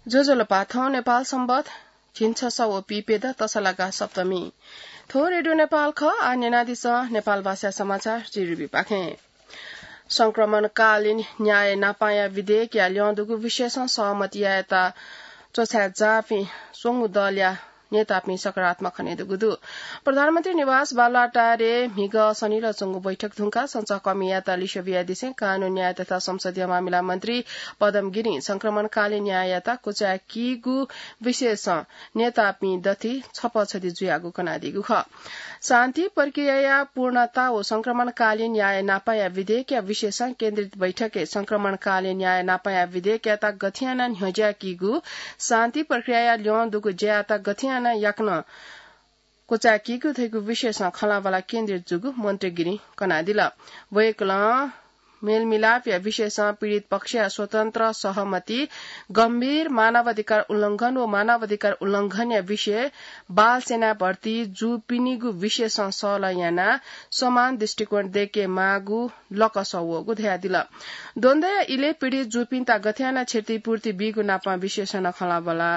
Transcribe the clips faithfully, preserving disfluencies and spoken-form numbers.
ज्वजलपा, थौं नेपाल संवत झिंछसः व पीप्यदँ तसलागा सप्तमी। थ्व रेडियो नेपाल खः। आः न्यनादिसँ नेपाल भाषा समाचार जिरुबी पाखें। संक्रमणकालीन न्याय नापांया विधेयकया ल्यं दुगु विषयसं सहमति यायेत च्वछाय् जाःपिं स्वंगू दलया नेतापिं सकारात्मक खने दुगु दु। प्रधानमन्त्री निवास बालुवाटारय् म्हिगः शनिलः च्वंगु बैठक धुंकाः सञ्चारकर्मीयात लिसे बियादिसें कानून, न्याय तथा संसदीय मामिला मन्त्री पदम गिरिं संक्रमणकालीन न्याययात क्वचाय् कीगु विषयसं नेतापिं दथुइ छपःछदी जुयागु कनादीगु खः। शान्ति प्रक्रियाया पूर्णता व संक्रमणकालीन न्याय नापांया विधेयकया विषयसं केन्द्रित बैठकय् संक्रमणकालीन न्याय नापांया विधेयकयात गथे यानाः न्ह्यज्याकीगु, शान्ति प्रक्रियाया ल्यं दुगु ज्यायात गथे यानाः याकनं क्वचाय् कीगु धइगु विषयसं खँल्हाबल्हा केन्द्रित जूगु मन्त्री गिरिं कनादिल। वय्कलं मेलमिलापया विषयसं पीडित पक्षया स्वतन्त्र सहमति, गम्भीर मानवाधिकार उल्लंघन व मानवाधिकार उल्लंघनया विषय, बाल सेनाय् भर्ती जूपिनिगु विषयसं सल्लाह यानाः समान दृष्टिकोण दय्केमाःगु लकसः वःगु धयादिल। द्वन्द्वया इलय् पीडित जूपिन्त गथे यानाः क्षतिपूर्ति बीगु नापं विषयसं नं खँल्हाबल्हा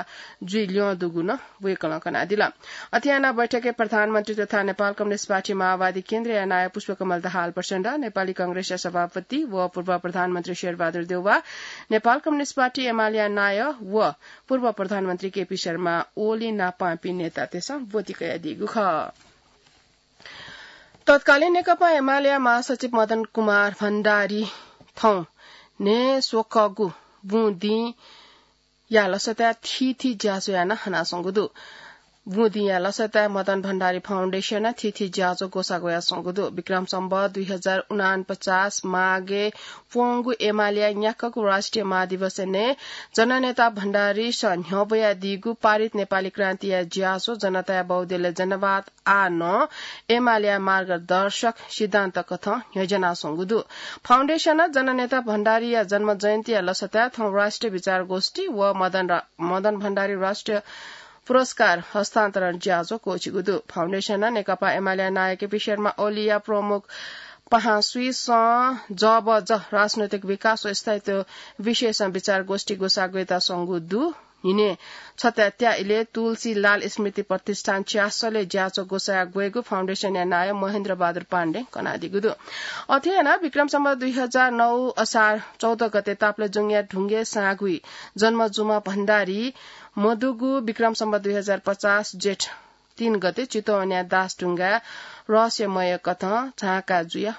जुइ ल्यं दुगु नं वय्कलं कनादिल। अथे यानाः बैठकय् प्रधानमन्त्री तथा नेपाल कम्युनिस्ट पार्टी माओवादी केन्द्रया नायः पुष्पकमल दाहाल प्रचण्ड, नेपाली कांग्रेसया सभापति व पूर्व प्रधानमन्त्री शेरबहादुर देउवा, नेपाल कम्युनिस्ट पार्टी एमालेया नायः व पूर्व प्रधानमन्त्री केपी शर्मा ओली नापांपिं नेतातय्सं ब्वति कयादीगु खः। तत्कालीन नेकपा एमालेया महासचिव मदन कुमार भण्डारी थौं न्हय्स्वकःगु बुँदिंया लसताय् थीथी ज्याझ्वः यानाः हनाच्वंगु दु। बुँदिंया लसताय् मदन भण्डारी फाउन्डेसनं थीथी ज्याझ्वः ग्वसाः ग्वयाच्वंगु दु। विक्रम सम्वत दुई हजार उनापचास माघय् प्वंगु एमालेया न्याक्वःगु राष्ट्रिय महाधिवेशनय् जननेता भण्डारीसं न्ह्यब्वयादीगु पारित नेपाली क्रान्तिया ज्याझ्वः जनताया बहुदलीय जनवाद आः नं एमालेया मार्गदर्शक सिद्धान्त कथं न्ह्यज्यानाच्वंगु दु। फाउन्डेसनं जननेता भण्डारीया जन्म जयन्तीया लसताय् थौं राष्ट्रिय विचार गोष्ठी व मदन रा-, मदन भण्डारी राष्ट्रिय पुरस्कार हस्तान्तरण ज्याझ्वः क्वःछिगु दु। फाउन्डेसनं नेकपा एमालेया नायः केपी शर्मा ओलीया प्रमुख पाहां स्वीसं जबज राजनैतिक विकास व स्थायित्व विषयसं विचार गोष्ठी ग्वसाः ग्वयातःगु दु। न्हिनय् छत्यात्या इलय् तुलसीलाल स्मृति प्रतिष्ठान च्यासलय् ज्याझ्वः ग्वसाः ग्वयेगु फाउन्डेसनया नायः महेन्द्र बहादुर पाण्डें कनादीगु दु। अथे यानाः विक्रम सम्वत दुई हजार नौ असार चौध गते ताप्लेजुङया ढुङ्गे साँघुइ जन्म जूम्ह भण्डारी मदुगु विक्रम सम्वत दुई हजार पचास जेठ तीन गते चितवनया दासढुङ्गाय् रहस्यमय कथं झांका जुया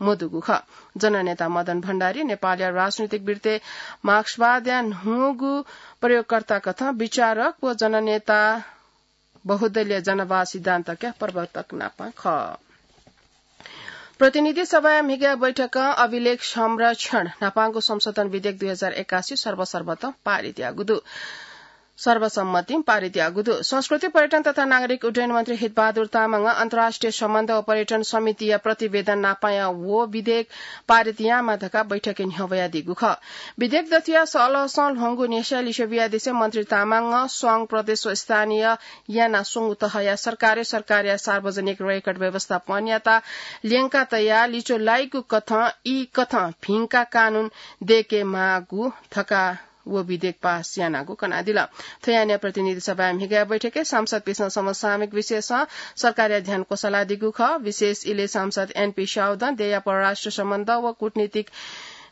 मदुगु खः। जननेता मदन भण्डारी नेपालया राजनैतिक वृत्तय् मार्क्सवादया न्हूगु प्रयोगकर्ता कथं विचारक व जननेता बहुदलीय जनवाद सिद्धान्तकया प्रवर्तक नापं खः। प्रतिनिधि सभाया म्हिगः बैठकं अभिलेख संरक्षण न्हापांगु संशोधन विधेयक दुई हजार एकासी सर्वसम्मतं पारित याःगु दु। सर्वसम्मतिं पारित याःगु दु। संस्कृति, पर्यटन तथा नागरिक उड्डयन मन्त्री हितबहादुर तामाङं अन्तर्राष्ट्रिय सम्बन्ध व पर्यटन समितिया प्रतिवेदन नापांया व विधेयक पारित यायेमाः धकाः बैठकय् न्ह्यब्वयादीगु खः। विधेयक दथुया सहलहसं ल्ह्वंगु न्ह्यसः लिसे बियादिसें मन्त्री तामाङं संघ, प्रदेश व स्थानीय यानाः स्वंगू तहया सरकारं सरकारया सार्वजनिक रेकर्ड व्यवस्थापनयात ल्यंका तयाः लिच्वः लाइगु कथं ई कथं भिंकाः कानून दय्केमाःगु धकाः व विधेयक पास यानागु कनादिल। थ्व यानाः प्रतिनिधि सभाया म्हिगः बैठकय् सांसदपिन्सं समसामयिक विषयसं सरकारया ध्यान क्वसालादीगु खः। विशेष इलय् सांसद एनपी स्याउदं देय्या परराष्ट्र सम्बन्ध व कूटनीतिक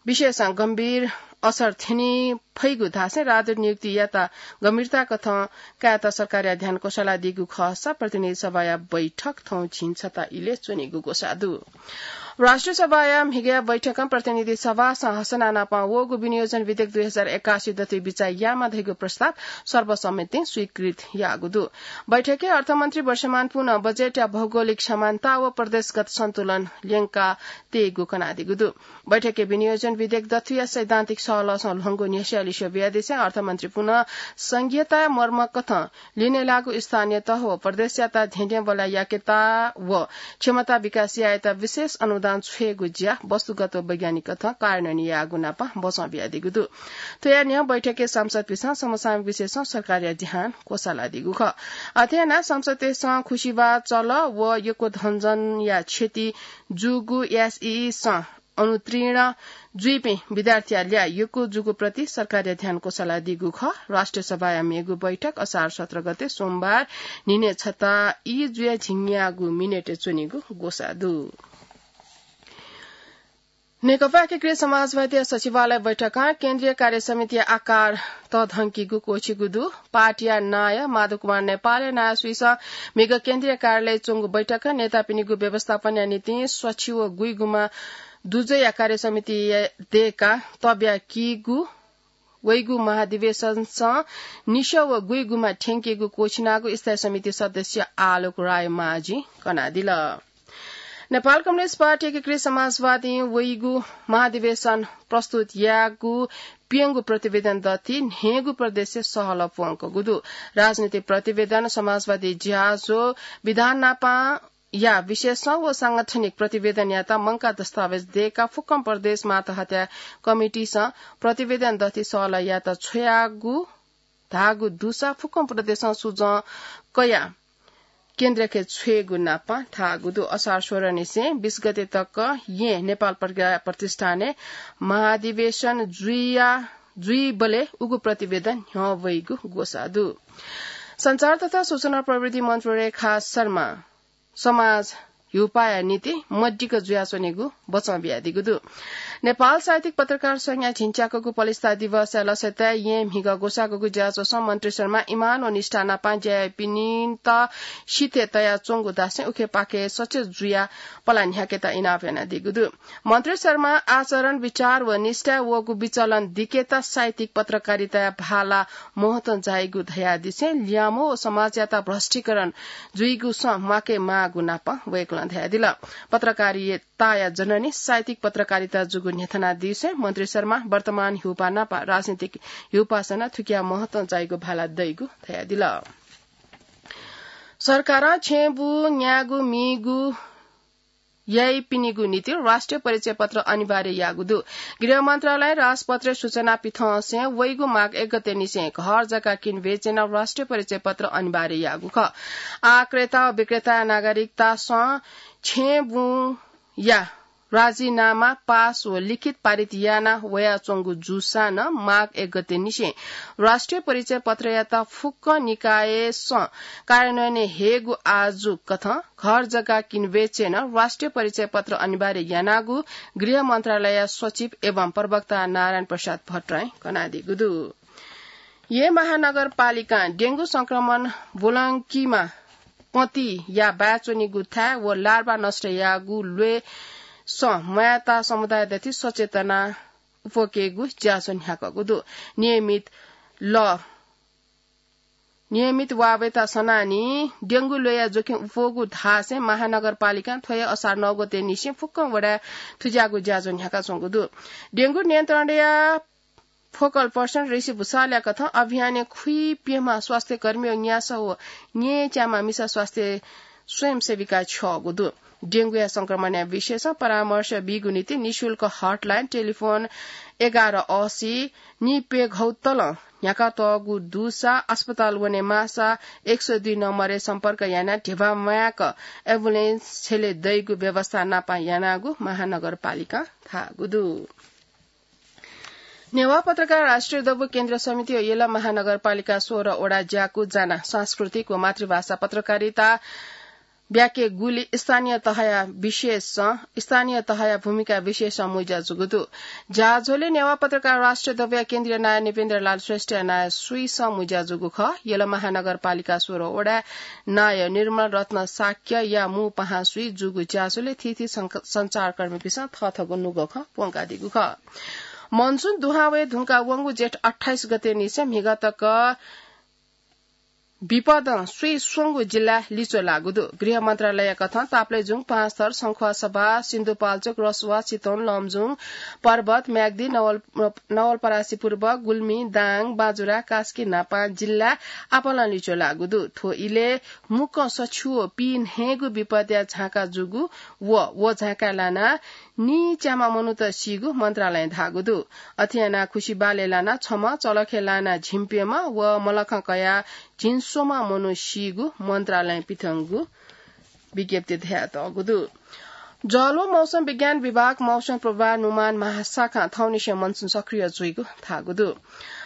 विषयसं गम्भीर असर थ्यनी फइगु धासें राजदूत नियुक्तियात गम्भीरता कथं कायेत सरकारया ध्यान क्वसालादीगु खःसा प्रतिनिधि सभाया बैठक थौं झिंछता इलय् च्वनीगु ग्वसाः दु। राष्ट्रिय सभाया म्हिगः बैठकं प्रतिनिधि सभासं हसना नापं वःगु विनियोजन विधेयक दुई हजार एकासी दथुइ बिचाः यायेमाः धइगु प्रस्ताव सर्वसम्मतिं स्वीकृत याःगु दु। बैठकय् अर्थमन्त्री वर्षमान पुनं बजेटया भौगोलिक समानता व प्रदेशगत सन्तुलन ल्यंका तयेगु कनादीगु दु। बैठकय् विनियोजन विधेयक दथुया सैद्धान्तिक सहलहसं ल्ह्वंगु न्ह्यसः लिसे बियादिसें अर्थमन्त्री पुनं संघीयताया मर्म कथं लिने लाःगु स्थानीय तह व प्रदेशयात धेंधेंबल्लाः याकेत व क्षमता विकास यायेत विशेष अनुदान छ्वयेगु ज्या वस्तुगत व वैज्ञानिक कथं कार्यान्वयन यायेगु नापं बचं बियादीगु दु। थ्वया न्ह्यः बैठकय् सांसदपिन्सं समसामयिक विषयसं सरकारया ध्यान क्वसालादीगु खः। अथे यानाः सांसदतय्सं खुसिबाः चल व यक्व धनजनया क्षति जूगु एसईईसं अनुत्तीर्ण जुइपिं विद्यार्थीया ल्याः यक्व जूगु प्रति सरकारया ध्यान क्वसालादीगु खः। राष्ट्रिय सभाया मेगु बैठक असार सत्र गते सोमबार न्हिनय् छता ई जुया झिंन्यागू मिनेटय् च्वनीगु ग्वसाः दु। नेकपा एकीकृत समाजवादीया सचिवालय बैठकं केन्द्रीय कार्य समितिया आकार तःधंकीगु क्वःछिगु दु। पार्टीया नायः माधव कुमार नेपालया नायःसुइसं म्हिगः केन्द्रीय कार्यालय च्वंगु बैठकं नेतापिनिगु व्यवस्थापनया निंतिं स्वछि व गुइगुमा दुजःया कार्य समिति दय्काः तब्याकीगु वइगु महाधिवेशनसं निसः व गुइगुमा थ्यंकीगु क्वःछिनागु स्थायी समिति सदस्य आलोक राय माझी कनादिल। नेपाल कम्युनिस्ट पार्टी एकीकृत समाजवादीं वइगु महाधिवेशन प्रस्तुत याःगु प्यंगू प्रतिवेदन दथि न्हय्गू प्रदेशय् सहलह प्वंकूगु दु। राजनीतिक प्रतिवेदन, समाजवादी ज्याझ्वः, विधान नापं या विशेषं व सांगठनिक प्रतिवेदनयात मंकाः दस्तावेज दय्काः फुक्कं प्रदेश मातहतय् कमिटीसं प्रतिवेदन दथि सहलह यायेत छ्वयागु धाःगु दुसा फुक्कं प्रदेशं सुझाव कयाः केन्द्रखे छ्वयेगु नापं धाःगु दु। असार सोह्र निसें बीस गते तक येँ नेपाल प्रज्ञा प्रतिष्ठानय् महाधिवेशन जुइया, जुइबलय् उगु प्रतिवेदन न्ह्यः वइगु ग्वसाः दु। सञ्चार तथा सूचना प्रविधि मन्त्री रेखा शर्मा समाज ह्यूपाःया निंतिं मदिक्क जुयाच्वनेगु बचं बियादीगु दु। नेपाल साहित्यिक पत्रकार संघया झिंच्याकःगु पलिस्था दिवसया लसताय् येँ म्हिगः ग्वसाःगु ज्याझ्वलय् मन्त्री शर्मा इमान व निष्ठा नापं ज्या याइपिन्त सिथय् तयाच्वंगु धासें उखेपाखे सचेत जुयाः पला न्ह्याकेत इनाप यानादीगु दु। मन्त्री शर्मां आचरण, विचार व निष्ठाय् वःगु विचलन दिकेत साहित्यिक पत्रकारिताया भाला महत्व जाइगु धयादिसें ल्यामो व समाजयात भ्रष्टीकरण जुइगु सँ म्वाके माःगु नापं वय्कलं धयादिल। पत्रकारिताया जननी साहित्यिक पत्रकारिता जूगु न्ह्यथनादिसें मन्त्री शर्मां वर्तमान ह्यूपाः नाप राजनीतिक ह्यूपाःसं नं थुकिया महत्व जाइगु भाला दइगु धयादिल। सरकारं छेँबुँ, न्यागू, मीगू याइपिनिगु निंतिं राष्ट्रिय परिचय पत्र अनिवार्य याःगु दु। गृह मन्त्रालयं राजपत्रय् सूचना पिथंसें वइगु माघ एक गते निसें घर जग्गा किनबेचय् नं राष्ट्रिय परिचय पत्र अनिवार्य याःगु खः। आः क्रेता व विक्रेताया नागरिकतासं छेँबुँया राजीनामा पास व लिखित पारित याना वयाच्वंगु जूसां नं माघ एक गते निसें राष्ट्रिय परिचय पत्रयात फुक्क निकायसं कार्यान्वयनय् हयेगु आजु कथं घर जग्गा किनबेचय् नं राष्ट्रिय परिचय पत्र अनिवार्य यानागु गृह मन्त्रालयया सचिव एवं प्रवक्ता नारायण प्रसाद भट्टराईं कनादीगु दु। येँ महानगरपालिकां डेंगू संक्रमण ब्वलंकीम्ह पतिया बाय् च्वनीगु थाय् व लार्भा नष्ट याःगु ल्वय्सं म्वायेता समुदाय दथि सचेतना उप्वकेगु ज्याझ्वः न्ह्याकःगु दु। नियमित लः नियमित वाःवय्ता सनाः नि डेंगू ल्वय्या जोखिम उप्वःगु धासें महानगरपालिकां थ्व हे असार नौ गते निसें फुक्कं वडाय् थुज्याःगु ज्याझ्वः न्ह्याकाच्वंगु दु। डेंगू नियन्त्रणया फोकल पर्सन ऋषि भुसालया कथं अभियानय् खुइप्यम्ह स्वास्थ्यकर्मी व न्यासः व न्येच्याम्ह मिसा स्वास्थ्य स्वयंसेविका छ्यःगु दु। डेंगूया संक्रमणया विषयसं परामर्श बीगु निंतिं निशुल्क हटलाइन टेलिफोन एघार असी निप्यघौ तलं न्ह्याकातःगु दुसा अस्पताल वने माःसा एक सय दुई नम्बरय् सम्पर्क यानाः ध्यबा म्वायेक एम्बुलेन्स छ्यले दइगु व्यवस्था नापं यानागु महानगरपालिकां धाःगु दु। नेवाः पत्रकार राष्ट्रिय दबू केन्द्रीय समिति व यल महानगरपालिका सोह्र वडा ज्याकू जानाः सांस्कृतिक व मातृभाषा पत्रकारिता ब्याकेगुली स्थानीय तहया विशेषं, स्थानीय तहया भूमिका विशेषं मुइज्या जूगु दु। ज्याझ्वलय् नेवाः पत्रकार राष्ट्रिय दबूया केन्द्रीय नायः नृपेन्द्र लाल श्रेष्ठया नायःसुइसं मुइज्या जूगु खः। यल महानगरपालिका सोह्र वडाय् नायः निर्मल रत्न शाक्यया मू पाहांसुइ जूगु ज्याझ्वलय् थीथी सं-, सञ्चारकर्मीपिन्सं थःथःगु नुगः खँ प्वंकादीगु खः। मनसुन दुहां वये धुंकाः वंगु जेठ अट्ठाइस गते निसें म्हिगः तक विपदं स्वीस्वंगु जिल्ला लिच्वः लाःगु दु। गृह मन्त्रालय कथं तापालय् जुं, पाँचथर, संख्वासभा, सिन्धुपाल्चोक, रसुवा, चितवन, लमजुङ, पर्वत, म्याग्दी, नवल-, नवलपरासी पूर्व, गुल्मी, दाङ, बाजुरा, कास्की न्हापां जिल्ला आपालं लिच्वः लाःगु दु। थ्व इलय् मुक्कं सछिव पीन्हय्गू विपदया झांका जूगु व व झांकाय् लानाः नीच्याम्ह मनूत सीगु मन्त्रालयं धाःगु दु। अथे यानाः खुसि बालय् लानाः छम्ह, चलखय् लानाः झिंप्यम्ह व मलखं कयाः झिंस्वम्ह मनू सीगु मन्त्रालयं पिथंगु विज्ञप्तिय् धयातःगु दु। जल व मौसम विज्ञान विभाग मौसम पूर्वानुमान महाशाखां थौंनिसें मनसुन सक्रिय जुइगु धाःगु दु।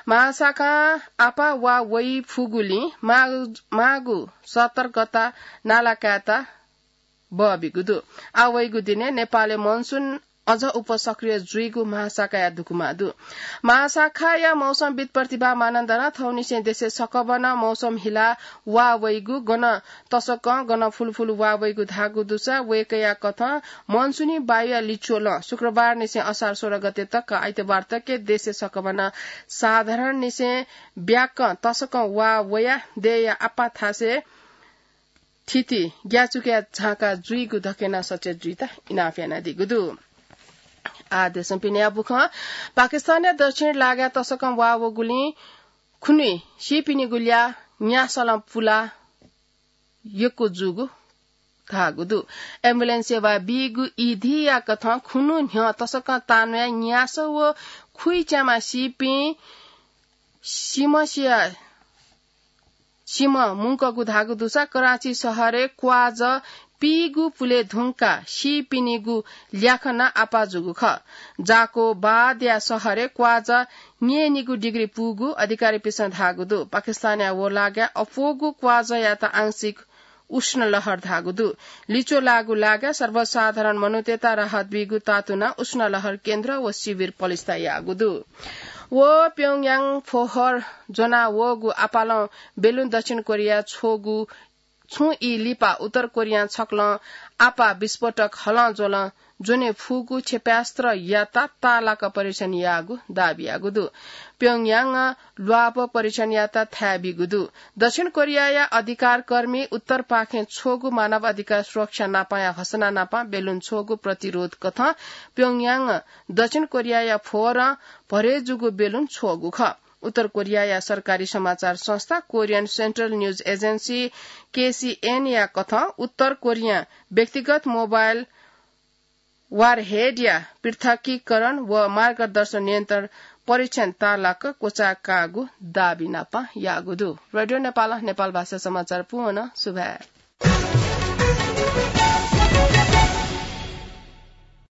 महाशाखां आपाः वा वइ फुगुलिं माःगु, माःगु सतर्कता नाला कायेत बःबिगु दु। आ वइगु दिनय् नेपालय् मनसुन अझ उपसक्रिय जुइगु महाशाखाया दुगुमा दु। महाशाखाया मौसमविद प्रतिभा मानन्धरं थौंनिसें देशय् सकभनं मौसम हिला वा वइगु, गन तसकं गन फुलफुल वा वइगु धाःगु दुसा वय्‌कःया कथं मनसुनी वायुया लिच्वलं शुक्रबारनिसें असार सोह्र गते तक आइतबार तक देशय् सकभनं साधारणनिसें ब्याकं तसकं वा वया देय्‌या आपाः थासय् थिति ग्याचुकया झांका जुइगु धकेना सचेत जुइत इनाप यानादीगु दु। आ देशं पिनेया बुखं पाकिस्तानया दक्षिण लागाय् तसकं वा वगुलिं खुन्हुइ सीपिनिगु ल्याः न्यासलं पुला यक्व जूगु धाःगु दु। एम्बुलेन्स सेवा बीगु ईधीया कथं खुन्हु न्ह्यः तसकं तान्वया न्यास व खुइच्यामा सीपिं सिमसिया सिम मुंकगु धाःगु दुसा कराची शहरय् क्वाज पीगु पुले धुंका सीपिनिगु ल्याखना आपाः जूगु खः। जाकोबादया शहरय् क्वाज न्यय्‌निगु डिग्री पूगु अधिकारीपिसं धाःगु दु। पाकिस्तानया व लागाय् अप्वःगु क्वाजयात आंशिक उष्ण लहर धाःगु दु। लिच्वः लाःगु लागाय् सर्वसाधारण मनूतय्‌त राहत बीगु तातुना उष्ण लहर केन्द्र व शिविर पलिस्था याःगु दु। व प्योङयाङ फोहोर ज्वना वःगु आपालं बेलुन दक्षिण कोरिया छ्वःगु छुं ई लिपा उत्तर कोरियां छकलं आपाः विस्फोटक हलं ज्वलं ज्वने फुगु क्षेपयास्त्रयात ताःलाक परीक्षण याःगु दाबी याःगु दु। प्योङयाङं ल्वाप परीक्षणयात थाय् बीगु दु। दक्षिण कोरियाया अधिकारकर्मी उत्तरपाखें छ्वःगु मानव अधिकार सुरक्षा नापाया घोषणा नापं बेलुन छ्वःगु प्रतिरोध कथं प्योङयाङं दक्षिण कोरियाया फोहोरं भरे जूगु बेलुन छ्वःगु खः। उत्तर कोरियाया सरकारी समाचार संस्था कोरियन सेन्ट्रल न्यूज एजेन्सी, केसिएनया कथं उत्तर कोरियां व्यक्तिगत मोबाइल वारहेडया पृथकीकरण व मार्गदर्शन नियन्त्रण परीक्षण ताःलाक क्वचाय् काःगु दाबी नापं याःगु दु। रेडियो नेपालं नेपाल भाषा समाचार पूवं सुभाय्।